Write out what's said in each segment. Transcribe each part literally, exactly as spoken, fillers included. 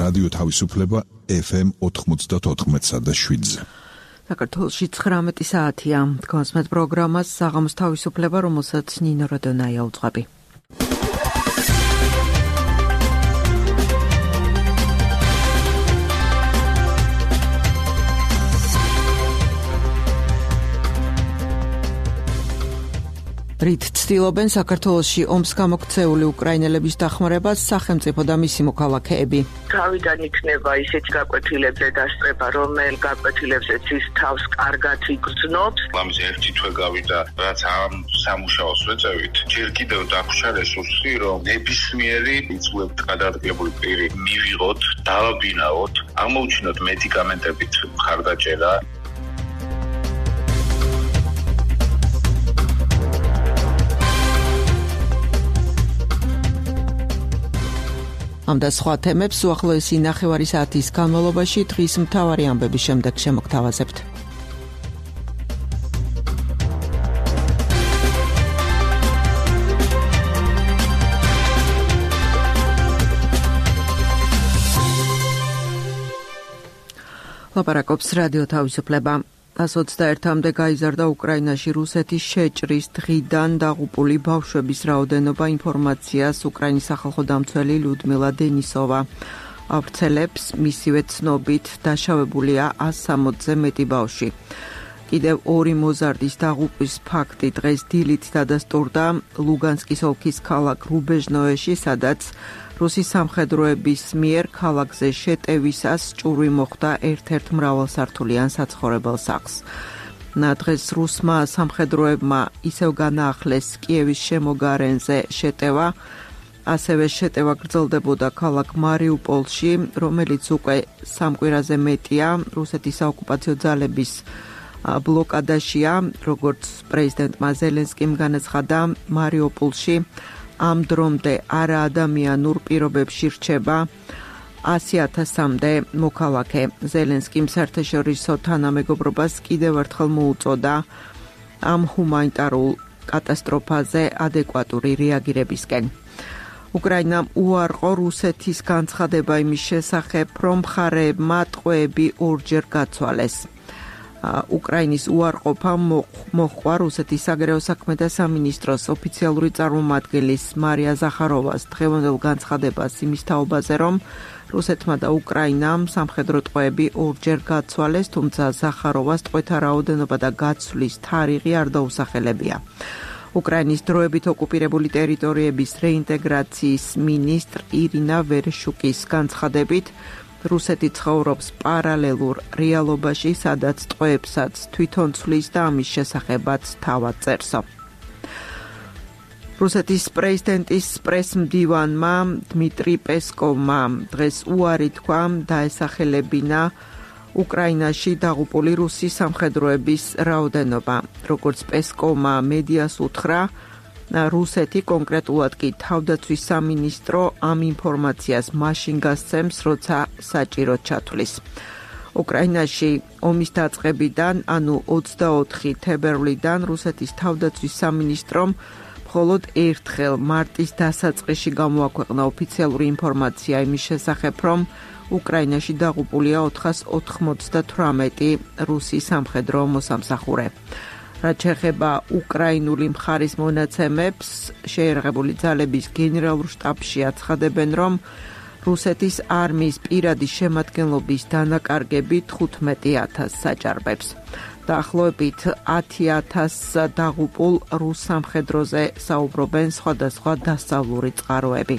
რადიო თავისუფლება ეფ ემ ოთხმოცდაოთხ და შვიდზე. საქართველოში ცხრამეტი საათია. თქვენს პროგრამას საღამოს თავისუფლება, რომელსაც ნინო როდონაია უძღვები. რით ცდილობენ საქართველოში ომს გამოქცეული უკრაინელების დახმარებას სახელმწიფო და მისი მოქალაქეები. თავიდან იქნება ისეთი გაკვეთილებზე დასწრება, რომელ გაკვეთილებზეც ის თავს კარგად იგრძნობს. ამაზე ერთი თვე გავიდა, რაც ამ სამუშაოს ვეწევით. ჯერ კიდევ დაგვრჩა რესურსი, რომ ნებისმიერი იწვევ გადაადგილებული პირი მივიღოთ, დავაბინაოთ, აღმოუჩინოთ მედიკამენტებით მხარდაჭერა. ამ და სხვა თემებს უახლოესი ნახევარი საათის განმავლობაში დღის მთავარი ამბების შემდეგ შემოგთავაზებთ. ლაპარაკობს რადიო თავისუფლება. ას ოცდაერთამდე გაიზარდა უკრაინაში რუსეთის შეჭრის დღიდან დაღუპული ბავშვების რაოდენობა ინფორმაციას უკრაინის სახალხო დამცველი ლიუდმილა დენისოვა ავრცელებს. მისივე ცნობით დაშავებულია ას სამოცზე მეტი ბავშვი. კიდევ ორი მოზარდის დაღუპვის ფაქტი დღეს დილით დადასტურდა ლუგანსკის ოლქის ქალაქ რუბეჟნოეში, სადაც რუსის სამხედროების მიერ ქალაქზე შეტევისას ჭურვი მოხდა ერთ-ერთ მრავალსართულიან საცხოვრებელ სახლს. დღეს რუსმა სამხედროებმა ისევ განაახლეს კიევის შემოგარენზე შეტევა, ასევე შეტევა გრძელდებოდა ქალაქ მარიუპოლში, რომელიც უკვე სამ კვირაზე მეტია რუსეთის საოკუპაციო ძალების ბლოკადაშია, როგორც პრეზიდენტმა ზელენსკიმ განაცხადა, მარიუპოლში ამ დრომდე არაადამიანურ პირობებში რჩება ასი ათასამდე მოქალაქე. ზელენსკიმ საერთაშორისო თანამეგობრობას კიდევ ერთხელ მოუწოდა ამ ჰუმანიტარულ კატასტროფაზე ადეკვატური რეაგირებისკენ. უკრაინამ უარყო რუსეთის განცხადება იმის შესახებ, რომ მხარეებმა ტყვეები ორჯერ გაცვალეს. უკრაინის უარყოფა მოჰყვა რუსეთის საგარეო საქმეთა სამინისტროს ოფიციალური წარმომადგენლის მარია ზახაროვას დღევანდელ განცხადებას იმის თაობაზე, რომ რუსეთმა და უკრაინამ სამხედრო ტყვეები ორჯერ გაცვალეს, თუმცა ზახაროვას ტყვეთა რაოდენობა და გაცვლის თარიღი არ დაუსახელებია. უკრაინის დროებით ოკუპირებული ტერიტორიების რეინტეგრაციის მინისტრ ირინა ვერეშუკის განცხადებით, რუსეთი ცხოვრობს პარალელურ რეალობაში, სადაც ტყვეებსაც თვითონ ცვლის და ამის შესახებაც თავად წერსო. რუსეთის პრეზიდენტის პრესმდივანმა დმიტრი პესკოვმა დღეს უარი თქვა დაესახელებინა უკრაინაში დაღუპული რუსის სამხედროების რაოდენობა. როგორც პესკოვმა მედიას უთხრა, რუსეთი, კონკრეტულად კი თავდაცვის სამინისტრო ამ ინფორმაციას მაშინ გასცემს, როცა საჭიროდ ჩათვლის. უკრაინაში ომის დაწყებიდან, ანუ ოცდაოთხი თებერვლიდან რუსეთის თავდაცვის სამინისტრომ მხოლოდ ერთხელ მარტის დასაწყისში გამოაქვეყნა ოფიციალური ინფორმაცია იმის შესახებ, რომ უკრაინაში დაღუპულია ოთხას ოთხმოცდათვრამეტი რუსი სამხედრო მოსამსახურე. რაც შეეხება უკრაინული მხარის მონაცემებს, შეერაღებული ძალების გენერალურ შტაბში აცხადებენ, რომ რუსეთის არმიის პირადი შემადგენლობის დანაკარგები თხუთმეტი ათასს საჭარბებს. დაახლოებით ათი ათასს დაღუპულ რუს სამხედროზე საუბრობენ სხვადასხვა დასავლური წყაროები.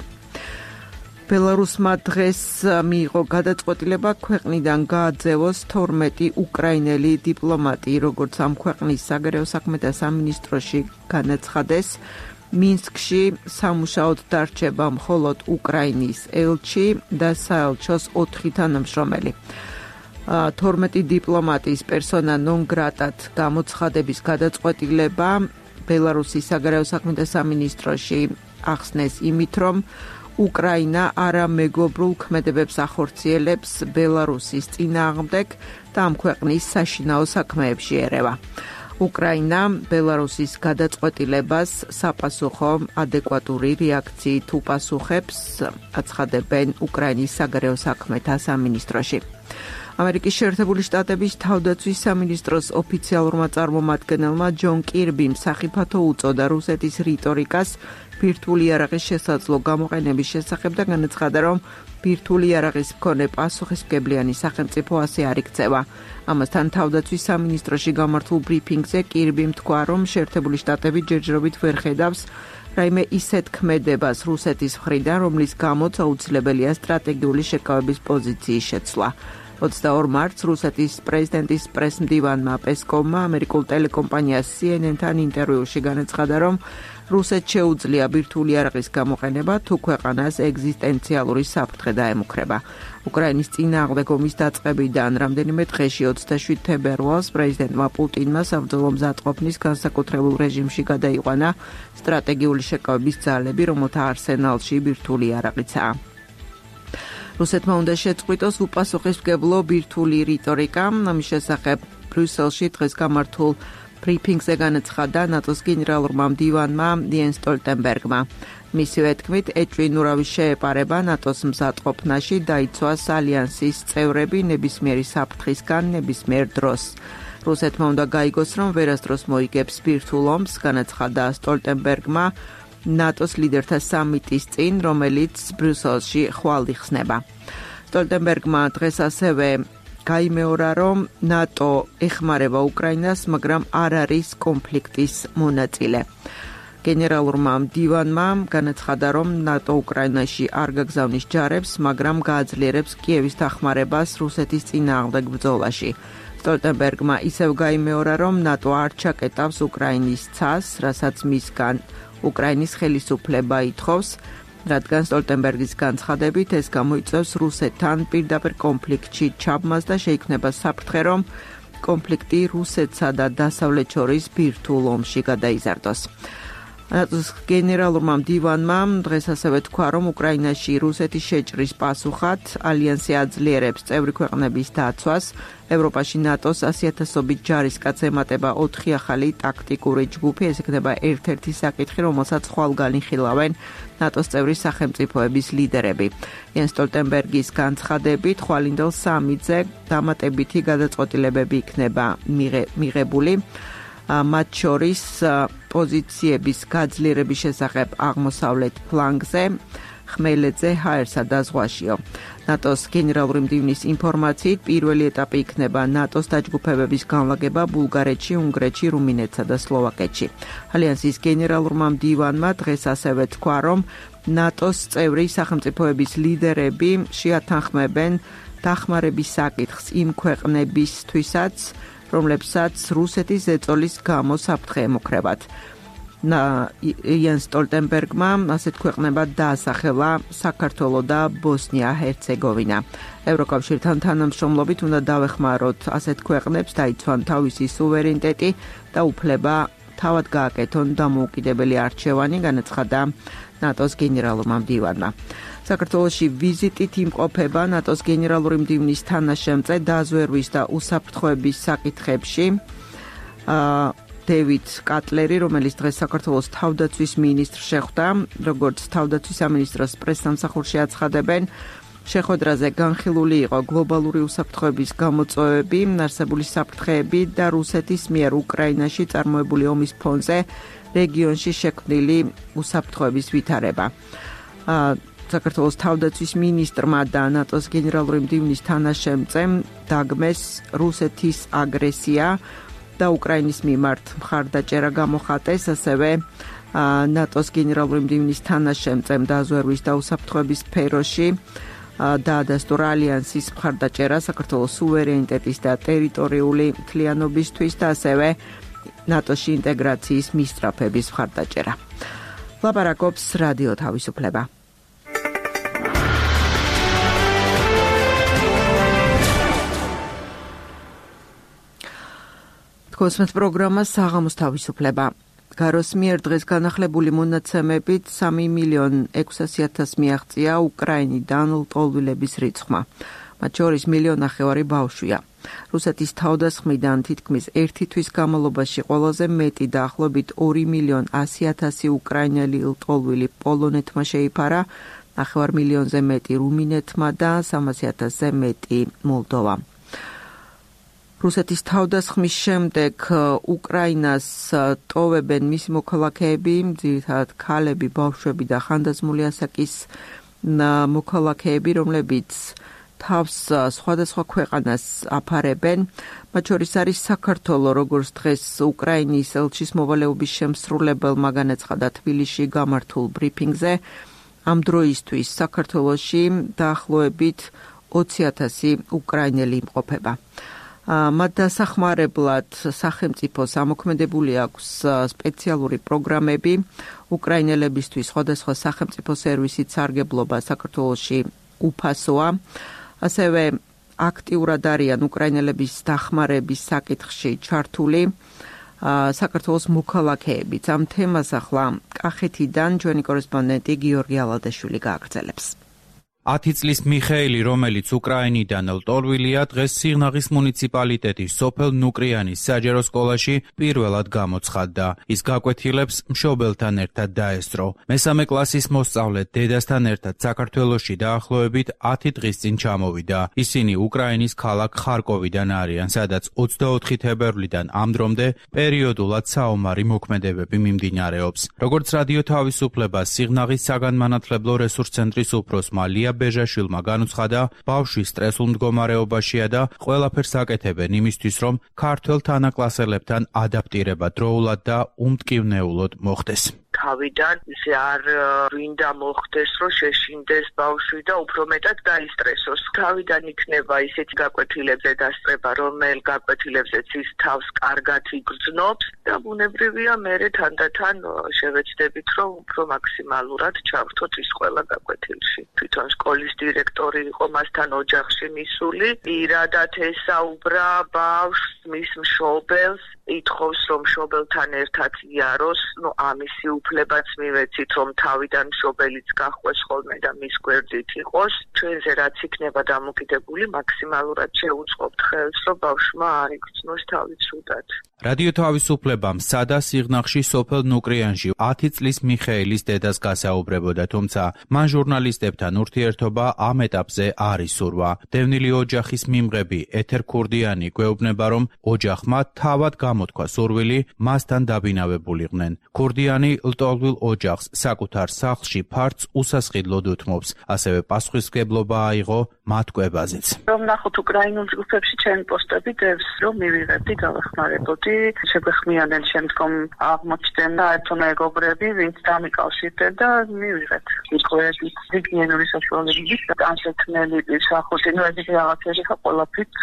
ბელარუსმა დღეს მიიღო გადაწყვეტილება ქვეყნიდან გააძევოს თორმეტი უკრაინელი დიპლომატი, როგორც ამ ქვეყნის საგარეო საქმეთა სამინისტროში განაცხადეს, მინსკში სამუშაოდ დარჩება მხოლოდ უკრაინის ელჩი და საელჩოს ოთხი თანამშრომელი. თორმეტი დიპლომატის პერსონა ნონ გრატად გამოცხადების გადაწყვეტილება ბელარუსის საგარეო საქმეთა სამინისტროში ახსნეს იმით, რომ უკრაინა არამეგობრულ ქმედებებს ახორციელებს ბელარუსის წინააღმდეგ და ამ ქვეყნის საშინაო საქმეებში ერევა. უკრაინა ბელარუსის გადაწყვეტილებას საპასუხო ადეკვატური რეაქციით უპასუხებს, აცხადებენ უკრაინის საგარეო საქმეთა სამინისტროში. ამერიკის შეერთებული შტატების თავდაცვის სამინისტროს ოფიციალურმა წარმომადგენელმა ჯონ კირბიმ სახიფათო უწოდა რუსეთის რიტორიკას ბირთვული იარაღის შესაძლო გამოყენების შესახებ და განაცხადა, რომ ბირთვული იარაღის მქონე პასუხისმგებლიანი სახელმწიფო ასე არ იქცევა. ამასთან თავდაცვის სამინისტროში გამართულ ბრიფინგზე კირბიმ თქვა, რომ შეერთებული შტატები ჯერჯერობით ვერ ხედავს რაიმე ისეთ ქმედებას რუსეთის მხრიდან, რომლის გამოც აუცილებელია სტრატეგიული შეკავების პოზიციის შეცვლა. ოცდაორ მარტს რუსეთის პრეზიდენტის პრესმდივანმა პესკოვმა ამერიკულ ტელეკომპანია C N N-თან ინტერვიუში განაცხადა, რომ რუსეთს შეუძლია ბირთვული იარაღის გამოყენება, თუ ქვეყანას ეგზისტენციალური საფრთხე დაემუქრება. უკრაინის წინააღმდეგ ომის დაწყებიდან რამდენიმე დღეში ოცდაშვიდ თებერვალს პრეზიდენტმა პუტინმა საბრძოლო მზადყოფნის განსაკუთრებულ რეჟიმში გადაიყვანა სტრატეგიული შეკავების ძალები, რომელთა არსენალში ბირთვული იარაღიცაა. რუსეთმა უნდა შეწყვიტოს უპასუხისმგებლო ბირთვული რიტორიკა. ამის შესახებ ბრიუსელში დღეს გამართულ ბრიფინგზე განაცხადა ნატოს გენერალურმა მდივანმა იენს სტოლტენბერგმა. მისივე თქმით, ეჭვინურავის შეეპარება ნატოს მზადყოფნაში დაიცვას ალიანსის წევრები ნებისმიერი საფრთხისგან ნებისმიერ დროს. რუსეთმა უნდა გაიგოს, რომ ვერასდროს მოიგებს ბირთვულ ომს, განაცხადა სტოლტენბერგმა ნატოს ლიდერთა სამიტის წინ, რომელიც ბრიუსელში ხვალ იხსნება. სტოლტენბერგმა დღეს ასევე გაიმეორა, რომ ნატო ეხმარება უკრაინას, მაგრამ არ არის კონფლიქტის მონაწილე. გენერალურმა მდივანმა განაცხადა, რომ ნატო უკრაინაში არ გაგზავნის ჯარებს, მაგრამ გააძლიერებს კიევის დახმარებას რუსეთის წინააღმდეგ ბრძოლაში. სტოლტენბერგმა ისევ გაიმეორა, რომ ნატო არ ჩაკეტავს უკრაინის ცას, რასაც მისგან უკრაინის ხელისუფლება ითხოვს, რადგან სტოლტენბერგის განცხადებით ეს გამოიწვევს რუსეთთან პირდაპირ კონფლიქტში ჩაბმას და შეიქმნება საფრთხე, რომ კონფლიქტი რუსეთსა და დასავლეთ შორის ბირთვულ ომში გადაიზარდოს. ნატოს გენერალურმა მდივანმა დღეს ასევე თქვა, რომ უკრაინაში რუსეთის შეჭრის პასუხად ალიანსი აძლიერებს წევრი ქვეყნების დაცვას. ევროპაში ნატოს ასიათასობით ჯარისკაცს ემატება ოთხი ახალი ტაქტიკური ჯგუფი. ეს იქნება ერთ-ერთი საკითხი, რომელსაც ხვალგან იხილავენ ნატოს წევრი სახელმწიფოების ლიდერები. იენს სტოლტენბერგის განცხადებით, ხვალინდელ სამიტზე დამატებითი გადაწყვეტილებები იქნება მიღებული. მათ შორის პოზიციების გაძლიერების შესახებ აღმოსავლეთ ფლანგზე, ხმელეთზე, ჰაერსა და ზღვაშიო. ნატოს გენერალური მდივნის ინფორმაციით, პირველი ეტაპი იქნება ნატოს დაჯგუფებების განლაგება ბულგარეთში, უნგრეთში, რუმინეთსა და სლოვაკეთში. ალიანსის გენერალურმა მდივანმა დღეს ასევე თქვა, რომ ნატოს წევრი სახელმწიფოების ლიდერები შეათანხმებენ დახმარების საკითხს იმ ქვეყნებისთვისაც, რომლებსაც რუსეთის ზეწოლის გამო საფრთხე ემუქრებათ. იენს სტოლტენბერგმა ასეთ ქვეყნებად დაასახელა საქართველო და ბოსნია-ჰერცეგოვინა. ევროკავშირთან თანამშრომლობით უნდა დავეხმაროთ ასეთ ქვეყნებს, დაიცვან თავისი სუვერენიტეტი და უფლება თავად გააკეთონ დამოუკიდებელი არჩევანი, განაცხადა ნატოს გენერალურმა მდივანმა. საქართველოში ვიზიტით იმყოფება ნატოს გენერალური მდივნის თანაშემწე დაზვერვის და უსაფრთხოების საკითხებში დევიდ კატლერი, რომელიც დღეს საქართველოს თავდაცვის მინისტრს შეხვდა, როგორც თავდაცვის სამინისტროს პრესსამსახურში აცხადებენ, შეხვედრაზე განხილული იყო გლობალური უსაფრთხოების გამოწვევები, არსებული საფრთხეები და რუსეთის მიერ უკრაინაში წარმოებული ომის ფონზე რეგიონში შექმნილი უსაფრთხოების ვითარება. საქართველოს თავდაცვის მინისტრმა და ნატოს გენერალური მდივნის თანაშემწემ დაგმეს რუსეთის აგრესია და უკრაინის მიმართ მხარდაჭერა გამოხატეს, ასევე ნატოს გენერალური მდივნის თანაშემწემ დაზვერვის და უსაფრთხოების სფეროში დაადასტურა ალიანსის მხარდაჭერა საქართველოს სუვერენიტეტის და ტერიტორიული მთლიანობისთვის და ასევე ნატოში ინტეგრაციის მისწრაფების მხარდაჭერა. ლაპარაკობს რადიო თავისუფლება. კოსმოს პროგრამა საღამოს თავისუფლება. გაროს მიერ დღეს განახლებული მონაცემებით სამი მილიონი ექვსასი ათასს მიაღწია უკრაინიდან ლტოლვილების რიცხვმა. მათ შორის მილიონი ნახევარი ბავშვია. რუსეთის თავდასხმიდან თითქმის ერთი თვის განმავლობაში ყველაზე მეტი დაახლოებით ორი მილიონი ასი ათასი უკრაინელი ლტოლვილი პოლონეთმა შეიფარა, ნახევარ მილიონზე მეტი რუმინეთმა და სამასი ათასზე მეტი მოლდოვამ. რუსეთის თავდასხმის შემდეგ უკრაინას ტოვებენ მისი მოქალაქეები, ძირითადად ქალები, ბავშვები და ხანდაზმული ასაკის მოქალაქეები, რომლებიც თავს სხვადასხვა ქვეყანას აფარებენ. მათ შორის არის საქართველო, როგორც დღეს უკრაინის ელჩის მოვალეობის შემსრულებელმა განაცხადა თბილისში გამართულ ბრიფინგზე. ამ დროისთვის საქართველოში დაახლოებით ოცი ათასი უკრაინელი იმყოფება. მათ დასახმარებლად სახელმწიფოს ამოქმედებული აქვს სპეციალური პროგრამები. უკრაინელებისთვის სხვადასხვა სახელმწიფო სერვისით სარგებლობა საქართველოში უფასოა. ასევე აქტიურად არიან უკრაინელების დახმარების საკითხში ჩართული საქართველოს მოქალაქეებიც. ამ თემას ახლა კახეთიდან ჩვენი კორესპონდენტი გიორგი ალადაშვილი გააგრძელებს. ათი წლის მიხეილი, რომელიც უკრაინიდან ლტოლვილია, დღეს სიღნაღის მუნიციპალიტეტის სოფელ ნუკრიანის საჯარო სკოლაში პირველად გამოცხადდა. ის გაკვეთილებს მშობელთან ერთად დაესწრო. მესამე კლასის მოსწავლე დედასთან ერთად საქართველოში დაახლოებით ათი დღის წინ ჩამოვიდა. ისინი უკრაინის ქალაქ ხარკოვიდან არიან, სადაც ოცდაოთხი თებერვლიდან ამ დრომდე პერიოდულად საომარი მოქმედებები მიმდინარეობს. როგორც რადიო თავისუფლებას სიღნაღის საგანმანათლებლო რესურს ცენტრის უფროსმა ლია ბეჟაშვილმა განუცხადა, ბავშვი სტრესულ მდგომარეობაშია და ყველაფერს აკეთებენ იმისთვის, რომ ქართველ თანაკლასელებთან ადაპტირება დროულად და უმტკივნეულოდ მოხდეს. თავიდან ისე არ ვინდა მოხდეს, რომ შეშინდეს ბავშვი და უფრო მეტად დაისტრესოს. თავიდან იქნება ისეთი გაკვეთილებზე დასწრება, რომელ გაკვეთილებზეც ის თავს კარგად იგრძნობს და ბუნებრივია მერე თანდათან შევეცდებით, რომ უფრო მაქსიმალურად ჩავრთოთ ის ყველა გაკვეთილში. თვითონ სკოლის დირექტორი იყო მასთან ოჯახში მისული, პირადად ესაუბრა ბავშვს, მის მშობელს, ითხოვს, რომ მშობელთან ერთად იაროს, ნუ ამისი უფლებაც მივეცით, რომ თავიდან მშობელიც გახვეს ხოლმე და მის გვერდით იყოს. ჩვენზე რაც იქნება დამოკიდებული, მაქსიმალურად შევუწყობთ ხელს, რომ ბავშვმა არ იგრძნოს თავი ცუდად. რადიო თავისუფლებამ სადა სიღნაღში სოფელ ნუკრიანში ათი წლის მიხეილის დედას გასაუბრებოდა, თუმცა მან ჟურნალისტებთან ურთიერთობა ამ ეტაპზე არ ისურვა. დევნილი ოჯახის მიმღები ეთერ ქურდიანი გვეუბნება, რომ ოჯახმა თავად გამოთქვა სურვილი მასთან დაბინავებულიყვნენ. ქურდიანი ლტოლვილ ოჯახს საკუთარ სახლში ფარც უსასყიდლოდ უთმობს, ასევე პასუხისმგებლობა აიღო მათ კვებაზეც. რომ ნახოთ უკრაინულ ჯგუფებში ჩემი პოსტები დევს, რომ მივიღებდი გავეხმარებოდი. შეგვეხმიანენ შემდგომ აღმოჩნდნენ საერთო მეგობრები, ვინც დამიკავშირდნენ და მივიღეთ. იყვეთ ზიგნიანური საშუალებებით განსაცდელი სახუთი, ნუ ეს რაღაცები ხა ყველაფრით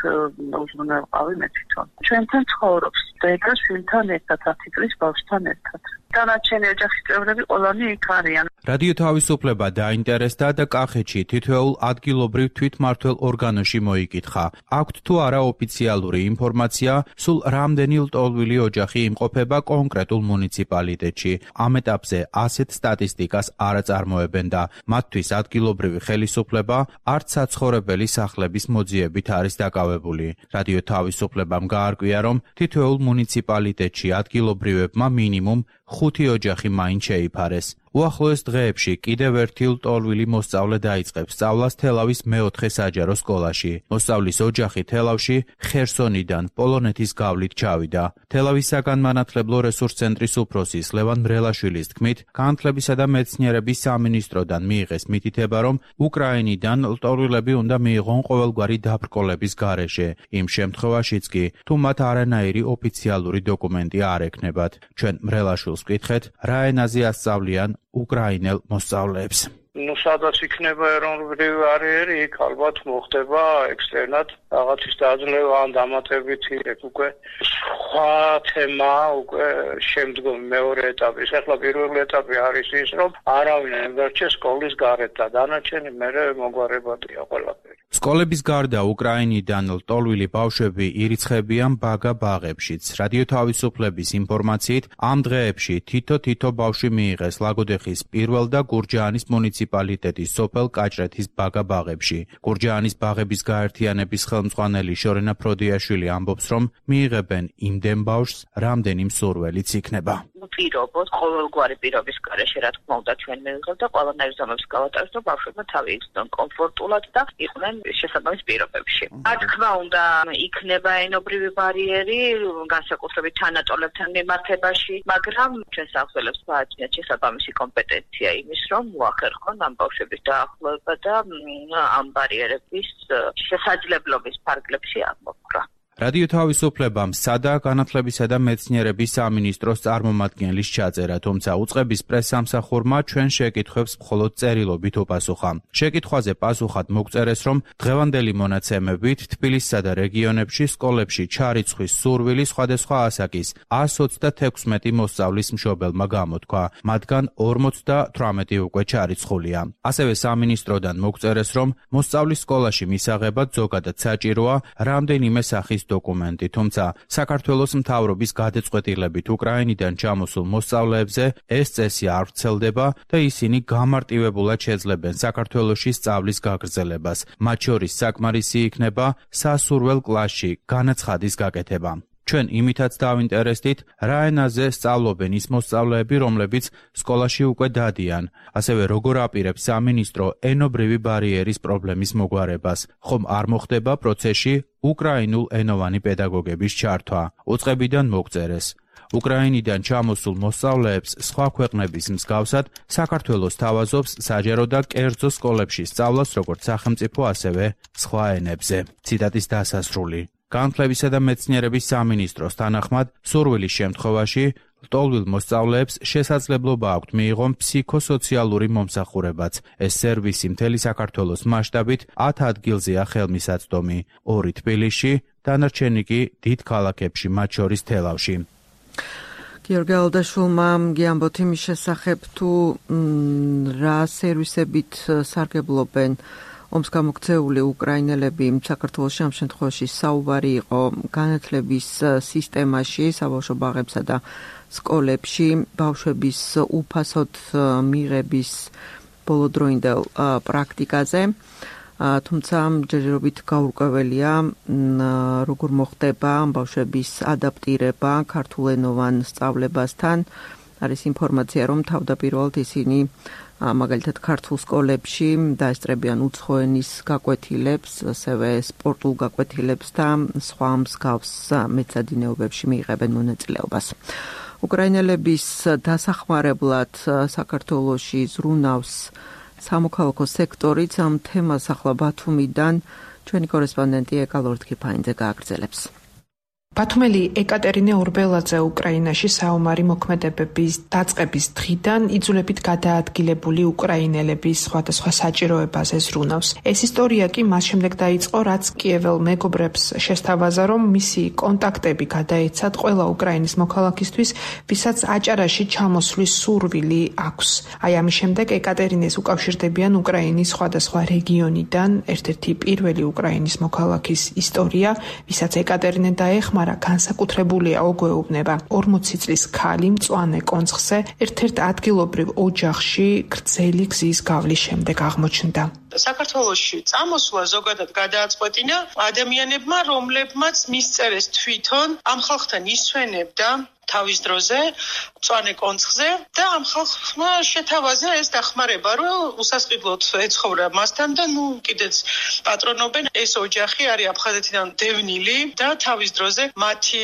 უზრუნველყავი მე თვითონ. ჩვენთან ცხოვრობს დედა შვილთან ერთად, ათი წლის ბავშვთან ერთად. დანარჩენი ოჯახის წევრები ყველანი იქ არიან. რადიო თავისუფლება დაინტერესდა და კახეთში თითოეულ ადგილობრივ თვითმმართველ ორგანოში მოიკითხა. აქვთ თუ არა ოფიციალური ინფორმაცია, სულ რამდენი ლტოლვილი ოჯახი იმყოფება კონკრეტულ მუნიციპალიტეტში. ამ ეტაპზე ასეთ სტატისტიკას არ აწარმოებენ და მათთვის ადგილობრივი ხელისუფლება არც საცხოვრებელი სახლების მოძიებით არის დაკავებული. რადიო თავისუფლებამ გაარკვია, რომ თითოეულ მუნიციპალიტეტში ადგილობრივებმა მინიმუმ ხუთი ოჯახი მაინც შეიფარეს. უახლოეს დღეებში კიდევ ერთი ლტოლვილი მოსწავლე დაიწყებს სწავლას თელავის მეოთხე საჯარო სკოლაში. მოსწავლის ოჯახი თელავში ხერსონიდან პოლონეთის გავლით ჩავიდა. თელავის საგანმანათლებლო რესურს ცენტრის უფროსის ლევან მრელაშვილის თქმით, განათლებისა და მეცნიერების სამინისტროდან მიიღეს მითითება, რომ უკრაინიდან ლტოლვილები უნდა მიიღონ ყოველგვარი დაბრკოლების გარეშე. იმ შემთხვევაშიც კი, თუ მათ არანაირი ოფიციალური დოკუმენტი არ ექნებათ. ჩვენ მრელაშვილს ვკითხეთ, რა ენაზე ასწავლიან უკრაინელ მოსწავლეებს. ნუ სადაც იქნება ეროვნული ბარიერი, იქ ალბათ მოხდება ექსტერნად რაღაცის დაძლევა ან დამატებითი უკვე სხვა თემა, უკვე შემდგომ მეორე ეტაპი. ახლა პირველი ეტაპი არის ის, რომ არავინ არ დარჩეს სკოლის გარეთ და დანარჩენი მერე მოგვარებადია ყველაფერი. სკოლების გარდა უკრაინიდან ლტოლვილი ბავშვები ირიცხებიან ბაგა ბაღებშიც. რადიო თავისუფლების ინფორმაციით, ამ დღეებში თითო-თითო ბავშვი მიიღეს ლაგოდეხის პირველ და გურჯაანის მუნიციპალიტეტის სოფელ კაჭრეთის ბაგა ბაღებში. გურჯაანის ბაღების გაერთიანების ხელმძღვანელი შორენა ფროდიაშვილი ამბობს, რომ მიიღებენ იმდენ ბავშვს, რამდენი მსურველიც იქნება. პირობოთ, ყოველგვარი პირობის გარეშე, რა თქმა უნდა, ჩვენ მივიღებთ და ყველანაირ ზომებს გავატარებთ, რომ ბავშვებმა თავი იცნონ კომფორტულად და იყვნენ შესაბამის პირობებში. რა თქმა უნდა, იქნება ენობრივი ბარიერი, განსაკუთრებით თანატოლებთან მიმართებაში, მაგრამ ჩვენ სახელებს ვააჩნიათ შესაბამისი კომპეტენცია იმის, რომ მოახერხონ ამ ბავშვების დაახლოება და ამ ბარიერების შესაძლებლობის ფარგლებში აღმოფხვრა. რადიო თავისუფლებამ სცადა განათლებისა და მეცნიერების სამინისტროს წარმომადგენლის ჩაწერა, თუმცა უწყების პრესსამსახურმა ჩვენ შეკითხვებს მხოლოდ წერილობით უპასუხა. შეკითხვაზე პასუხად მოგწერეს, რომ დღევანდელი მონაცემებით თბილისსა და რეგიონებში სკოლებში ჩარიცხვის სურვილი სხვადასხვა ასაკის ას ოცდათექვსმეტი მოსწავლის მშობელმა გამოთქვა, მათგან ორმოცდათვრამეტი უკვე ჩარიცხულია. ასევე სამინისტროდან მოგწერეს, რომ მოსწავლის სკოლაში მისაღებად ზოგადად საჭიროა რამდენიმე სახის დოკუმენტი, თუმცა საქართველოს მთავრობის გადაწყვეტილებით უკრაინიდან ჩამოსულ მოსწავლეებზე ეს წესი არ ვრცელდება და ისინი გამარტივებულად შეძლებენ საქართველოში სწავლის გაგრძელებას. მათ შორის საკმარისი იქნება სასურველ კლასში განაცხადის გაკეთება. ჩვენ იმითაც დავინტერესდით, რა ენაზე სწავლობენ ის მოსწავლეები, რომლებიც სკოლაში უკვე დადიან, ასევე როგორ აპირებს სამინისტრო ენობრივი ბარიერის პრობლემის მოგვარებას, ხომ არ მოხდება პროცესში უკრაინულ ენოვანი პედაგოგების ჩართვა. უწყებიდან მოგწერეს. უკრაინიდან ჩამოსულ მოსწავლეებს სხვა ქვეყნების მსგავსად საქართველოს თავაზობს საჯარო და კერძო სკოლებში სწავლას როგორც სახელმწიფო, ასევე სხვა ენებზე. ციტატის დასასრული. განათლებისა და მეცნიერების სამინისტროს თანახმად, სურვილის შემთხვევაში ლტოლვილ მოსწავლეებს შესაძლებლობა აქვთ მიიღონ ფსიქოსოციალური მომსახურებაც. ეს სერვისი მთელი საქართველოს მასშტაბით ათ ადგილზეა ხელმისაწვდომი, ორი თბილისში, დანარჩენი კი დიდ ქალაქებში, მათ შორის თელავში. გიორგი ალდაშვილმა გიამბოთ იმის შესახებ, თუ რა სერვისებით სარგებლობენ ომს გამოქცეული უკრაინელები საქართველოში, ამ შემთხვევაში საუბარი იყო განათლების სისტემაში, საბავშვო ბაღებსა და სკოლებში, ბავშვების უფასოდ მიღების ბოლოდროინდელ პრაქტიკაზე. თუმცა ჯერჯერობით გაურკვეველია, როგორ მოხდება ბავშვების ადაპტირება ქართულენოვან სწავლებასთან. არის ინფორმაცია, რომ თავდაპირველად ისინი მაგალითად ქართულ სკოლებში დაესწრებიან უცხოენის გაკვეთილებს, ასევე სპორტულ გაკვეთილებს და სხვა მსგავს მეცადინეობებში მიიღებენ მონაწილეობას. უკრაინელების დასახმარებლად საქართველოში ზრუნავს სამოქალაქო სექტორიც. ამ თემას ახლა ბათუმიდან ჩვენი კორესპონდენტი ეკალორთქიფაინძე გააგრძელებს. ბათუმელი ეკატერინე ორბელაძე უკრაინაში საომარი მოქმედებების დაწყების დღიდან იძულებით გადაადგილებული უკრაინელების სხვადასხვა საჭიროებაზე ზრუნავს. ეს ისტორია კი მას შემდეგ დაიწყო, რაც კიეվել მეგობრებს შესთავაზა, რომ მისი კონტაქტები გადაეცათ ყველა უკრაინის მოქალაქისთვის, ვისაც აჭარაში ჩამოსვლის სურვილი აქვს. აი ამის შემდეგ ეკატერინეს უკავშირდებიან უკრაინის სხვადასხვა რეგიონიდან ერთ-ერთი პირველი უკრაინის მოქალაქის ისტორია, ვისაც ეკატერინე დაეხმარა განსაკუთრებულია ოგვეუბნება. ორმოცი წლის ქალი მწვანე კონცხზე ერთ-ერთ ადგილობრივ ოჯახში გრძელი გზის გავლის შემდეგ აღმოჩნდა. საქართველოში წამოსვლა ზოგადად გადააწყვეტინა ადამიანებმა, რომლებმაც მისწერეს თვითონ ამ ხალხთან ისვენებდა თავის დროზე, მწვანე კონცხზე და ამ ხალხმა შეთავაზა ეს დახმარება, რომ უსასყიდლოდ ეცხოვრა მასთან და ნუ კიდეც პატრონობენ. ეს ოჯახი არის აფხაზეთიდან დევნილი და თავის დროზე მათი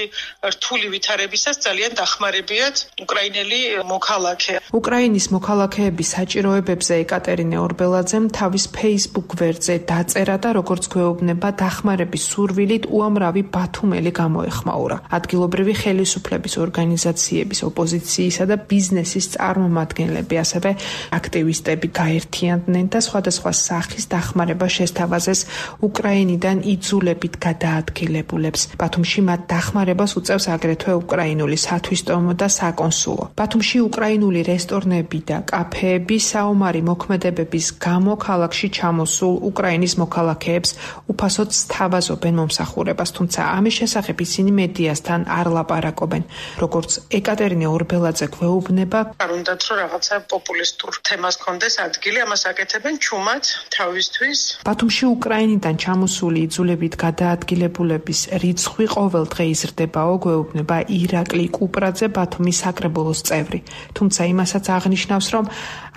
რთული ვითარებისას ძალიან დახმარებიათ უკრაინელი მოქალაქე. უკრაინის მოქალაქეების საჭიროებებზე ეკატერინე ორბელაძემ თავის Facebook ვერზე დაწერა და როგორც გვეუბნება, დახმარების სურვილით უამრავი ბათუმელი გამოეხმაურა. ადგილობრივი ხელისუფლების ორგანიზაციების, ოპოზიციისა და ბიზნესის წარმომადგენლები, ასევე აქტივისტები გაერთიანდნენ და სხვადასხვა სახის დახმარება შესთავაზეს უკრაინიდან იძულებით გადაადგილებულებს. ბათუმში მათ დახმარებას უწევს აგრეთვე უკრაინული სათვისტომო და საკონსულო. ბათუმში უკრაინული რესტორნები და კაფეები საომარი მოქმედებების გამო ქალაქში ჩამოსულ უკრაინის მოქალაქეებს უფასოდ სთავაზობენ მომსახურებას, თუმცა ამის შესახებ ისინი მედიასთან არ ლაპარაკობენ. როგორც ეკატერინე ორბელაძე გვეუბნება, არ უნდათ რომ რაღაცა პოპულისტურ თემას კონდეს ადგილი, ამას აკეთებენ ჩუმად თავისთვის. ბათუმში უკრაინიდან ჩამოსული იძულებით გადაადგილებულების რიცხვი ყოველ დღე იზრდებაო, გვეუბნება ირაკლი კუპრაძე, ბათუმის საკრებულოს წევრი. თუმცა იმასაც აღნიშნავს, რომ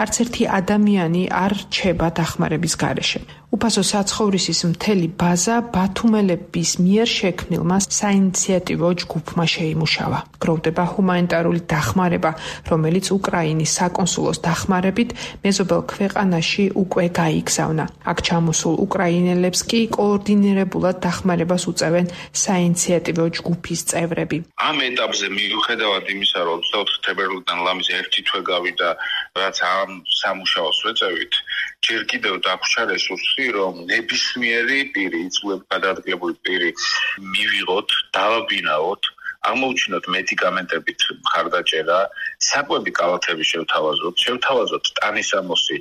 არც ერთი ადამიანი არ რჩება დახმარების გარეშე. უფასო საცხოვრისის მთელი ბაზა ბათუმელების მიერ შექმნილმა საინიციატივო ჯგუფმა შეიმუშავა. გროვდება ჰუმანიტარული დახმარება, რომელიც უკრაინის საკონსულოს დახმარებით მეზობელ ქვეყანაში უკვე გაიგზავნა. აქ ჩამოსულ უკრაინელებს კი კოორდინირებულად დახმარებას უწევენ საინიციატივო ჯგუფის წევრები. ამ ეტაპზე მიუხედავად იმისა, რომ ოცდაოთხი თებერვლიდან ლამის ერთი თვე გავიდა, რაც ამ სამუშაოს ვეწევით, ჯერ კიდევ დაგვრჩა რესურსი, რომ ნებისმიერი პირი, იძულებით გადაადგილებული პირი მივიღოთ, დავაბინაოთ, აღმოუჩინოთ მედიკამენტებით მხარდაჭერა, საკვები კალათები შევთავაზოთ, შევთავაზოთ ტანისამოსი,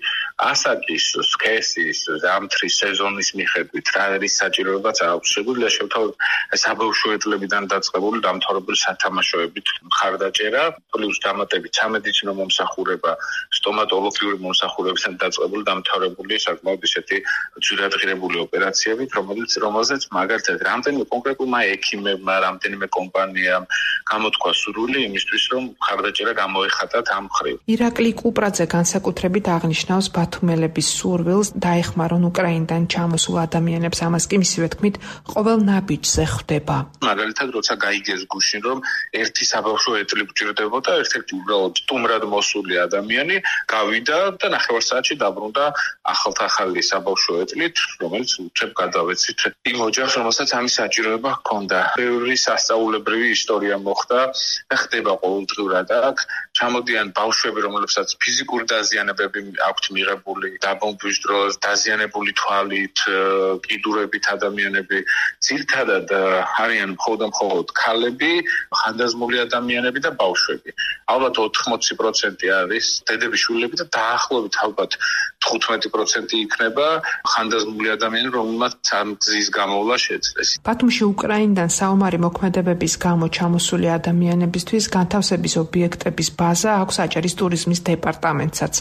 ასაკის, სქესის, ზამთრის სეზონის მიხედვით, რა არის საჭიროებაც აქვს, შეგვიძლია შევთავაზოთ საბავშვოეთლებიდან დაწყებული დამთავრებული სათამაშოებით მხარდაჭერა, პლუს დამატებით სამედიცინო მომსახურება, სტომატოლოგიური მომსახურებიდან დაწყებული დამთავრებული საკმაოდ ისეთი ძვირადღირებული ოპერაციებით, რომელიც რომელზეც მაგალითად რამდენიმე კონკრეტულმა ექიმებმა, რამდენიმე კომპანიამ გამოთქვა სურვილი იმისთვის, რომ მხარდაჭერა გამოეხატათ ამ მხრივ. ირაკლი კუპრაძე განსაკუთრებით აღნიშნავს ბათუმელების სურვილს დაეხმარონ უკრაინიდან ჩამოსულ ადამიანებს, ამას კი მისივე თქმით ყოველ ნაბიჯზე ხვდება. მაგალითად, როცა გაიგეს გუშინ, რომ ერთი საბავშვო ეტლი გჭირდებოდა, ერთ-ერთი უბრალოდ სტუმრად მოსული ადამიანი გავიდა და ნახევარ საათში დაბრუნდა ახალთახალი საბავშვო ეტლით, რომელიც უცებ გადავეცით იმ ოჯახს, რომელსაც ამის საჭიროება ჰქონდა. ბევრი სასწაულებრივი ისტორია მოხდა და ხდება ყოველდღურად აქ. ჩამოდიან ბავშვები, რომლებსაც ფიზიკური დაზიანებები აქვთ მიღებული, დაბომბვის დროს დაზიანებული თვალით, კიდურებით ადამიანები, ძირითადად არიან მხოლოდ და მხოლოდ ქალები, ხანდაზმული ადამიანები და ბავშვები. ალბათ ოთხმოცი პროცენტი არის დედების შვილები და დაახლოებით ალბათ თხუთმეტი პროცენტი იქნება ხანდაზმული ადამიანები, რომელმაც ამ გზის გამოვლა შეძლეს. ბათუმში უკრაინიდან საომარი მოქმედებების გამო ჩამოსული ადამიანებისთვის განთავსების ობიექტების ბაზა აქვს აჭარის ტურიზმის დეპარტამენტსაც.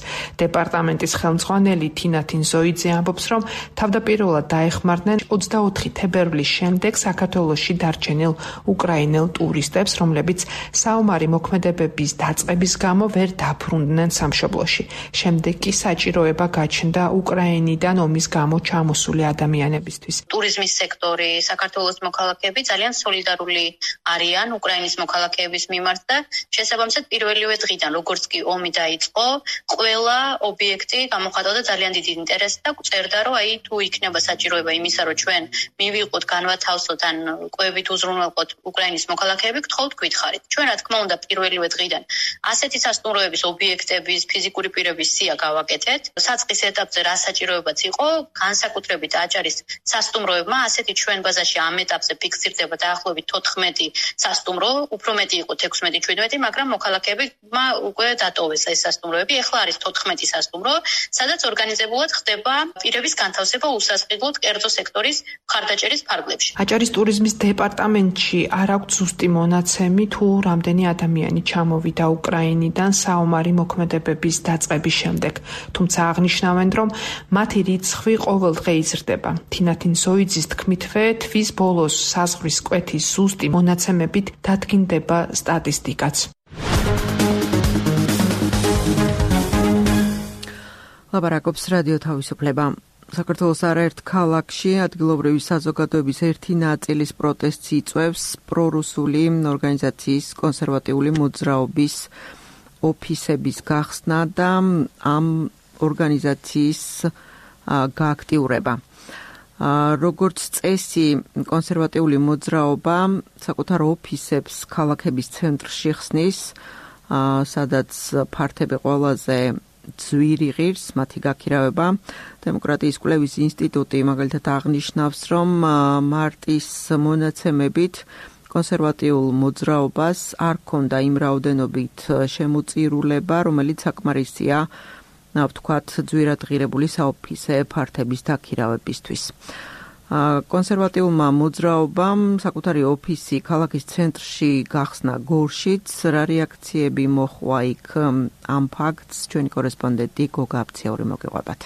დეპარტამენტის ხელმძღვანელი თინათინ ზოიძე ამბობს, რომ თავდაპირველად დაეხმარნენ ოცდაოთხი თებერვლის შემდეგ საქართველოში დარჩენილ უკრაინელ ტურისტებს, რომლებიც საომარი მოქმედებების დაწყების გამო ვერ დაბრუნდნენ სამშობლოში. შემდეგ კი საჭიროება გაჩნდა უკრაინიდან ომის გამო ჩამოსული ადამიანებისთვის. ტურიზმის სექტორი, საქართველოს მოქალაქეები ძალიან სოლიდარული არიან უკრაინის მოქალაქეების მიმართ და შესაბამისად პირველივე დღიდან, როგორც კი ომი დაიწყო, ყველა ობიექტი გამოხატავდა ძალიან დიდ ინტერესს და წერდა, რომ აი თუ იქნება საჭიროება იმისა, რომ ჩვენ მივიღოთ, განვათავსოთ ან კვებით უზრუნველყოთ უკრაინის მოქალაქეები, გთხოვთ გვითხარით. ჩვენ რა თქმა უნდა პირველივე დღიდან ასეთი სასტუმროების ობიექტების ფიზიკური პირების სია გავაკეთეთ. საწყის ეტაპზე რა საჭიროებაც იყო, განსაკუთრებით აჭარის სასტუმროებმა ასეთი ჩვენ ბაზაში ამ ეტაპზე ფიქსირდება დაახლოებით თოთხმეტი სასტუმრო, უფრო მეტი იყო ექვსმეტი შვიდმეტი, მაგრამ მოქალაქეებმა უკვე დატოვეს ეს სასტუმროები. ეხლა არის თოთხმეტი სასტუმრო, სადაც ორგანიზებულად ხდება პირების განთავსება უსასყიდლოდ კერძო სექტორის მხარდაჭერის ფარგლებში. აჭარის ტურიზმის დეპარტამენტში არ აქვს ზუსტი მონაცემი, თუ რამდენი ადამიანი ჩამოვიდა უკრაინიდან საომარი მოქმედებების დაწყების შემდეგ. თუმცა აღნიშნავენ, რომ მათი რიცხვი ყოველ დღე იზრდება. თინათინ ზოიძის თქმითვე, თვის ბოლოს საზღვრის კვეთის ზუსტი მონაცემებით დადგინდება სტატისტიკაც. ლაპარაკობს რადიო თავისუფლება. საქართველოს არაერთ ქალაქში ადგილობრივი საზოგადოების ერთი ნაწილის პროტესტს იწვევს პრორუსული ორგანიზაციის კონსერვატიული მოძრაობის ოფისების გახსნა და ამ ორგანიზაციის გააქტიურება. როგორც წესი, კონსერვატიული მოძრაობა საკუთარ ოფისებს ქალაქების ცენტრში ხსნის, სადაც ფართები ყველაზე ძვირი ღირს მათი გაქირავება. დემოკრატიის კვლევის ინსტიტუტი მაგალითად აღნიშნავს, რომ მარტის მონაცემებით კონსერვატიულ მოძრაობას არ ჰქონდა იმ რაოდენობით შემოწირულება, რომელიც საკმარისია ვთქვათ, ძვირად ღირებული საოფისე ფართების დაქირავებისთვის. კონსერვატიულმა მოძრაობამ საკუთარი ოფისი ქალაქის ცენტრში გახსნა გორშიც, რა რეაქციები მოჰყვა იქ ამ ფაქტს ჩვენი კორესპონდენტი გოგა აბციური მოგიყვებათ.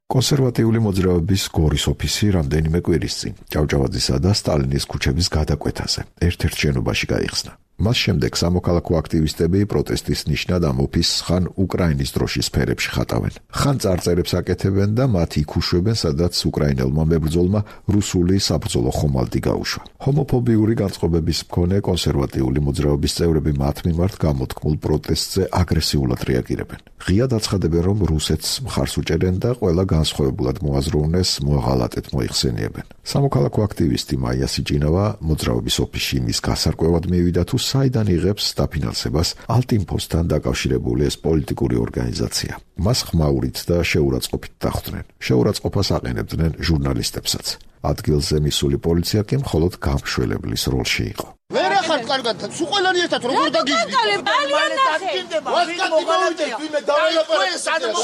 კონსერვატიული მოძრაობის გორის ოფისი რამდენიმე კვირის წინ ჭავჭავაძისა და სტალინის ქუჩების გადაკვეთაზე ერთ-ერთ შენობაში გაიხსნა. მას შემდეგ სამოქალაქო აქტივისტები პროტესტის ნიშნად ამ ოფისს ხან უკრაინის დროშის ფერებში ხატავენ. ხან წარწერებს აკეთებენ და მათ იქ უშვებენ, სადაც უკრაინელმა მებრძოლმა რუსული საბრძოლო ხომალდი გაუშვა. ჰომოფობიური განწყობების მქონე კონსერვატიული მოძრაობის წევრები მათ მიმართ გამოთქმულ პროტესტზე აგრესიულად რეაგირებენ. ღიად აცხადებენ, რომ რუსეთს მხარს უჭერენ და ყველა განსხვავებულად მოაზროვნეს მოაღალატეთ მოიხსენიებენ. სამოქალაქო აქტივისტი მაია სიჭინავა მოძრაობის ოფისში მის გასარკვევად მივიდა თუ საიდან იღებს დაფინანსებას ალტინფოსთან დაკავშირებული ეს პოლიტიკური ორგანიზაცია. მას ხმაურით და შეურაცხყოფით დახვდნენ. შეურაცხყოფას აყენებდნენ ჟურნალისტებსაც. ადგილზე მისული პოლიცია კი მხოლოდ გამშველებლის როლში იყო. ვერ ახარ კარგად, სულ ყველანი ერთად როგორ დაგიჟდი?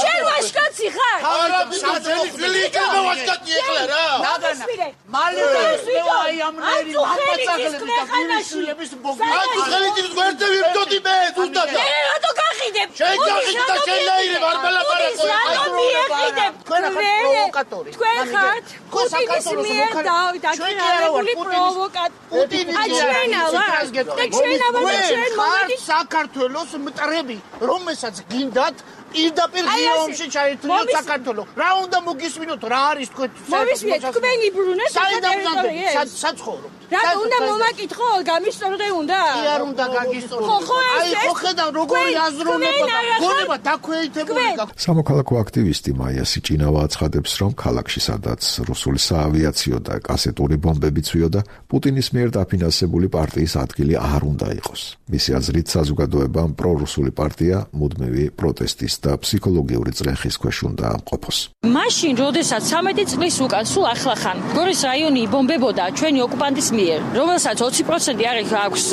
შენ ვაშკაცი ხარ? არა, საძელი ძველი იქნება ვაშკაცი ეხლა რა. მალე აი ამ ნერი მამაცაღლები და გულიშვილების ბოგი. ხელით გვერდზე ვიმდოდი მე ზუსტად. მე რატო გახიდებ? შენ გახიდებ და შენ ნაირებ არ მელაპარაკო. რატო მიეხიდებ? თქვენ ახლა პროვოკატორი. თქვენ ხართ პუტინის მიერ დაქირავებული პროვოკატორი. აჩვენა ვარ. და ჩვენა ვარ ჩვენ მომედი საქართველოს მტრები, რომელსაც გინდათ პირდაპირ ღიობში ჩაერთვიოთ საქართველოს. რა უნდა მოგისმინოთ, რა არის თქვენ? მოვისმინეთ, თქვენი ბრუნე საერთოდ საცხოვრო. რა უნდა მომაკითხო, გამისწორდე უნდა? კი არ უნდა გაგისწორდე. ხო, ხო, აი, ხო ხედავ როგორი აზროვნება და გონება დაქვეითებული. სამოქალაქო აქტივისტი მაია სიჭინავა აცხადებს, რომ ქალაქში სადაც რუსული საავიაციო და კასეტური ბომბები ცვიოდა, პუტინის მიერ დაფინანსებული პარტიის ადგილი არ უნდა იყოს. მისი აზრით, საზოგადოებამ პრორუსული პარტია მუდმივი პროტესტის და ფსიქოლოგიური წრეხის ქვეშ უნდა ყოფოს. მაშინ, როდესაც ცამეტი წლის უკან სულ ახლახან გორის რაიონი იბომბებოდა ჩვენი ოკუპანტის მიერ, რომელსაც ოცი პროცენტი არის აქვს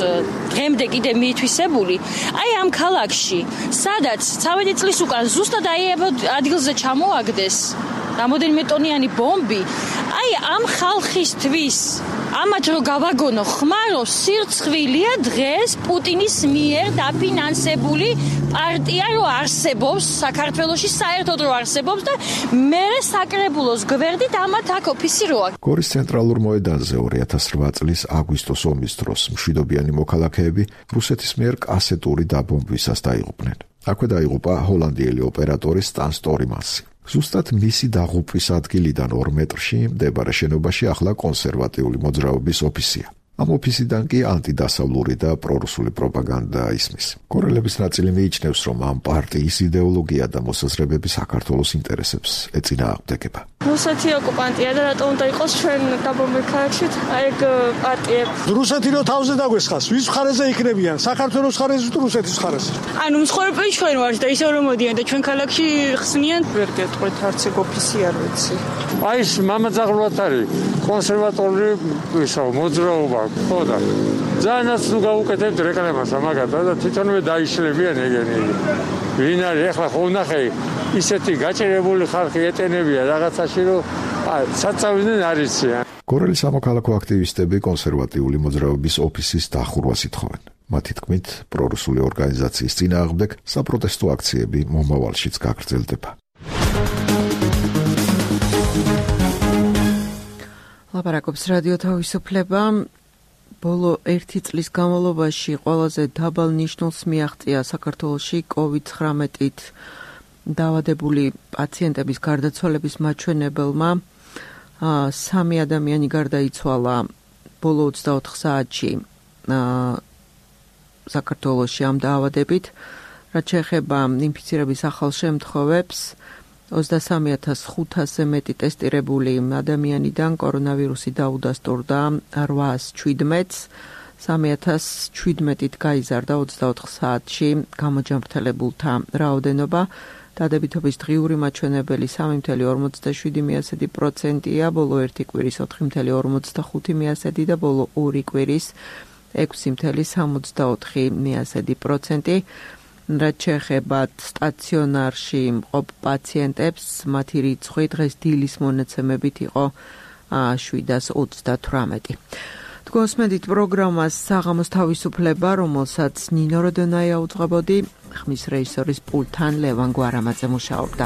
დღემდე კიდე მიითვისებული, აი ამ ქალაქში, სადაც ცამეტი წლის უკან ზუსტად აი ადგილზე ჩამოაგდეს რამოდენიმე ტონიანი ბომბი, აი ამ ხალხისთვის ამათ რო გავაგონო ხმარო სირცხვილია დღეს პუტინის მიერ დაფინანსებული პარტია რო არსებობს საქართველოში, საერთოდ რო არსებობს და მე საკრებულოს გვერდით ამათ აქ ოფისი როა. გორის ცენტრალურ მოედანზე ორი ათას რვა წლის აგვისტოს ომის დროს მშვიდობიანი მოქალაქეები რუსეთის მიერ კასეტური დაბომბვისას დაიღუპნენ. აქვე დაიღუპა ჰოლანდიელი ოპერატორი სტან სტორიმანსი. ზუსტად მისი დაღუპვის ადგილიდან ორ მეტრში მდებარე შენობაში ახლა კონსერვატიული მოძრაობის ოფისია. ამ ოფისიდან კი ანტიდასავლური და პრორუსული პროპაგანდა ისმის. კორელების ნაწილი მიიჩნევს, რომ ამ პარტიის იდეოლოგია და მოსაზრებები საქართველოს ინტერესებს ეწინააღმდეგება. რუსეთი ოკუპანტია და რატომ უნდა იყოს ჩვენ დაბომბილ ქალაქში? აი ეგ პარტიები. რუსეთი რო თავზე დაგვესხას, ვის მხარეზე იქნებიან? საქართველოს მხარეზე თუ რუსეთის მხარეზე? ანუ მსხვერპლი ჩვენ ვართ და ისევ რომ მოდიან და ჩვენ ქალაქში ხსნიან. ვერ გეტყვით არც ეგ ოფისი არ ვიცი. აი ეს მამაძაღლად არის კონსერვატორული ისო მოძრაობა. ხო და ძალიანაც ნუ გავუკეთებთ რეკლამას ამაგათა და თვითონვე დაიშლებიან ეგენი. ვინ არის ახლა ხო ნახე ისეთი გაჭირებული ხალხი ეტენებია რაღაცაში რომ საწავდნენ არიციან. გორელი სამოქალაქო აქტივისტები კონსერვატიული მოძრაობის ოფისის დახურვას ითხოვენ. მათი თქმით, პრორუსული ორგანიზაციის წინააღმდეგ საპროტესტო აქციები მომავალშიც გაგრძელდება. ლაპარაკობს რადიო თავისუფლება. ბოლო ერთი წლის განმავლობაში ყველაზე დაბალ ნიშნულს მიაღწია საქართველოში კოვიდ ცხრამეტით დაავადებული პაციენტების გარდაცვალების მაჩვენებელმა. სამი ადამიანი გარდაიცვალა ბოლო ოცდაოთხ საათში საქართველოში ამ დაავადებით. რაც შეეხება ინფიცირების ახალ შემთხვევებს, ოცდასამი ათას ხუთასზე მეტი ტესტირებული ადამიანიდან კორონავირუსი დაუდასტურდა რვაას შვიდმეტს, სამი ათას შვიდმეტით გაიზარდა ოცდაოთხ საათში გამოჯანმრთელებულთა რაოდენობა. დადებითობის დღიური მაჩვენებელი სამი ათეული ორმოცდაშვიდი პროცენტია, ბოლო ერთი კვირის ოთხი ათეული ორმოცდახუთი პროცენტი და ბოლო ორი კვირის ექვსი ათეული სამოცდაოთხი პროცენტი. რაც შეეხება სტაციონარში მყოფ პაციენტებს, მათი რიცხვი დღეს დილის მონაცემებით იყო შვიდას ოცდათვრამეტი. გოსმედით პროგრამას საღამოს თავისუფლება, რომელსაც ნინო როდონაია უძღვებოდი, ხმის რეჟისორის პულტთან ლევან გვარამაძე მუშაობდა.